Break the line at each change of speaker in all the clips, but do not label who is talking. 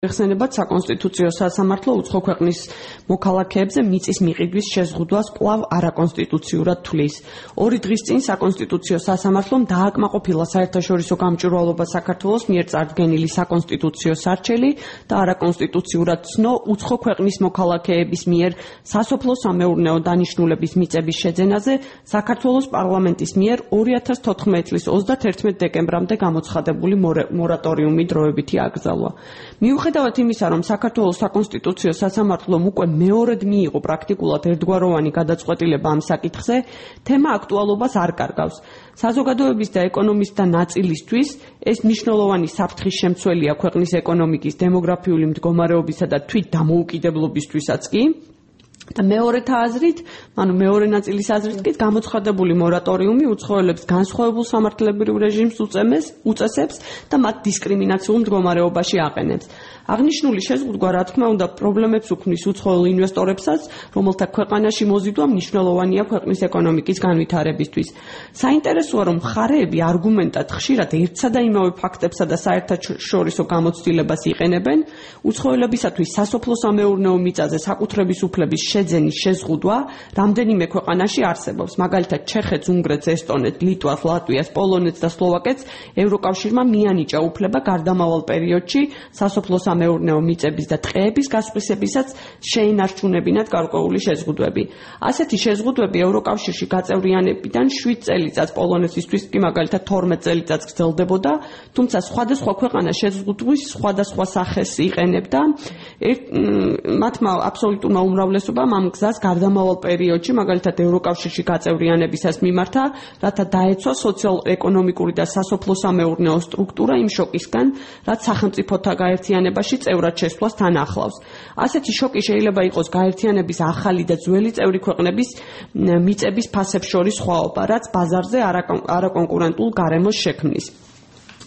ეხსენებათ საკონსტიტუციო სასამართლო უცხო ქვეყნის მოქალაქეებზე მიწის მიყიდვის შეზღუდვას კვლავ არაკონსტიტუციურად თვლის. 2 დღის წინ საკონსტიტუციო სასამართლომ დააკმაყოფილა საერთაშორისო გამჭვირვალობა საქართველოს მიერ წარდგენილი საკონსტიტუციო სარჩელი და არაკონსტიტუციურად ცნო უცხო ქვეყნის მოქალაქეების მიერ სასოფლო-სამეურნეო დანიშნულების მიწების შეძენაზე საქართველოს პარლამენტის მიერ 2014 წლის 31 დეკემბრამდე გამოცხადებული მორატორიუმი დროებითი აკრძალვა. მიუხედავად იმისა, რომ საქართველოს საკონსტიტუციო სასამართლომ უკვე მეორედ მიიღო პრაქტიკულად ერთგვაროვანი გადაწყვეტილება ამ საკითხზე, თემა აქტუალობას არ კარგავს. საზოგადოების და ეკონომისტთა ნაწილისთვის ეს მნიშვნელოვანი საფრთხის შემცველია ქვეყნის ეკონომიკის დემოგრაფიული მდგომარეობისა და თვით დამოუკიდებლობისთვისაც კი. და მეორეთა აზრით, მეორე ნაწილის აზრით კი გამოცხადებული მორატორიუმი უცხოელებს განსხვავებულ სამართლებრივ რეჟიმს უწესებს და მათ დისკრიმინაციულ მდგომარეობაში აყენებს. აღნიშნული შეზღუდვა, რა თქმა უნდა, პრობლემებს უქმნის უცხოელ ინვესტორებსაც, რომელთა ქვეყანაში მოზიდვა მნიშვნელოვანია ქვეყნის ეკონომიკის განვითარებისთვის. საინტერესოა, რომ მხარეები არგუმენტად ხშირად ერთსა და იმავე ფაქტებსა და საერთაშორისო გამოცდილებას იყენებენ, უცხოელებისათვის სასოფლო-სამეურნეო მიწაზე საკუთრების უფლების შეძენის შეზღუდვა რამდენიმე ქვეყანაში არსებობს. მაგალითად, ჩეხეთს, უნგრეთს, ესტონეთს, ლიტვას, ლატვიას, პოლონეთს და სლოვაკეთს ევროკავშირმა მიანიჭა უფლება გარდამავალ პერიოდში სასოფლო-სამეურნეო მიწების და ტყეების გასხვისებისაც შეინარჩუნებინათ გარკვეული შეზღუდვები. ასეთი შეზღუდვები ევროკავშირში გაწევრიანებიდან 7 წელიწადს, პოლონეთისთვის კი მაგალითად 12 წელიწადს გრძელდებოდა, თუმცა სხვადასხვა ქვეყანა შეზღუდვის სხვადასხვა სახეს იყენებდა. მათმა აბსოლუტურმა უმრავლესობამ ამ გზას გარდამავალ პერიოდში, მაგალითად ევროკავშირში გაწევრიანებისას მიმართა, რათა დაეცვა სოციალ-ეკონომიკური და სასოფლო-სამეურნეო სტრუქტურა იმ შოკისგან, რაც სახელმწიფოთა გაერთიანებაში წევრად შესვლას თან ახლავს. ასეთი შოკი შეიძლება იყოს გაერთიანების ახალი და ძველი წევრი ქვეყნების მიწების ფასებს შორის სხვაობა, რაც ბაზარზე არაკონკურენტულ გარემოს შექმნის.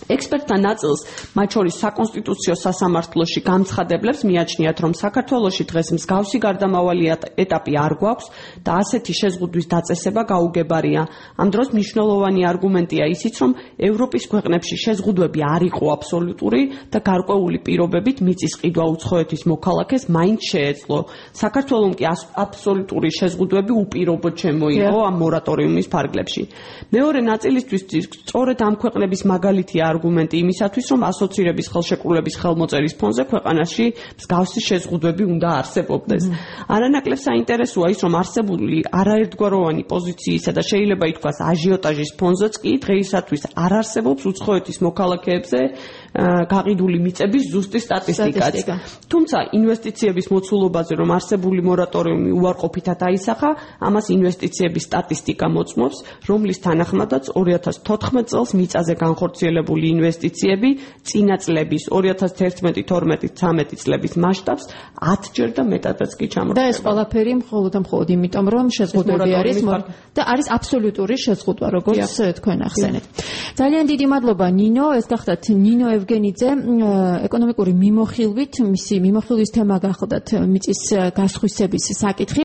ექსპერტთა ნაწილს, მათ შორის საკონსტიტუციო სასამართლოში გამცხადებლებს მიაჩნიათ, რომ საქართველოში დღეს მსგავსი გარდამავალი ეტაპი არ გვაქვს და ასეთი შეზღუდვის დაწესება გაუგებარია. ამ დროს მნიშვნელოვანი არგუმენტია ისიც, რომ ევროპის ქვეყნებში შეზღუდვები არ იყო აბსოლუტური და გარკვეული პირობებით მიწის ყიდვა უცხოეთის მოქალაქეს მაინც შეეძლო. საქართველომ კი აბსოლუტური შეზღუდვები უპირობოდ შემოიღო ამ მორატორიუმის ფარგლებში. მეორე ნაწილისთვის სწორედ ამ ქვეყნების მაგალითია არგუმენტი იმისათვის, რომ ასოცირების ხელშეკრულების ხელმოწერის ფონზე ქვეყანაში მსგავსი შეზღუდვები უნდა არსებობდეს. არანაკლებ საინტერესოა ის, რომ არსებული არაერთგვაროვანი პოზიციისა და შეიძლება ითქვას აჟიოტაჟის ფონზეც კი დღეისათვის არ არსებობს უცხოეთის მოქალაქეებზე გაყიდული მიწების ზუსტი სტატისტიკაც. თუმცა ინვესტიციების მოცულობაზე, რომ არსებული მორატორიუმი უარყოფითად აისახა, ამას ინვესტიციების სტატისტიკა მოწმობს, რომლის თანახმადაც 2014 წელს მიწაზე განხორციელებული ინვესტიციები წინა წლების 2011-12-13 წლების მასშტაბს 10-ჯერ და მეტადაც კი ჩამორჩება.
და ეს ყველაფერი მხოლოდ იმიტომ, რომ შეზღუდვები არის და არის აბსოლუტური შეზღუდვა, როგორც თქვენ ახსენეთ. ძალიან დიდი მადლობა ნინო, ეს გახდათ ნინო ევგენიძე, ეკონომიკური მიმოხილვით, მისი მიმოხილვის თემა გახლდათ მიწის გასხვისების საკითხი.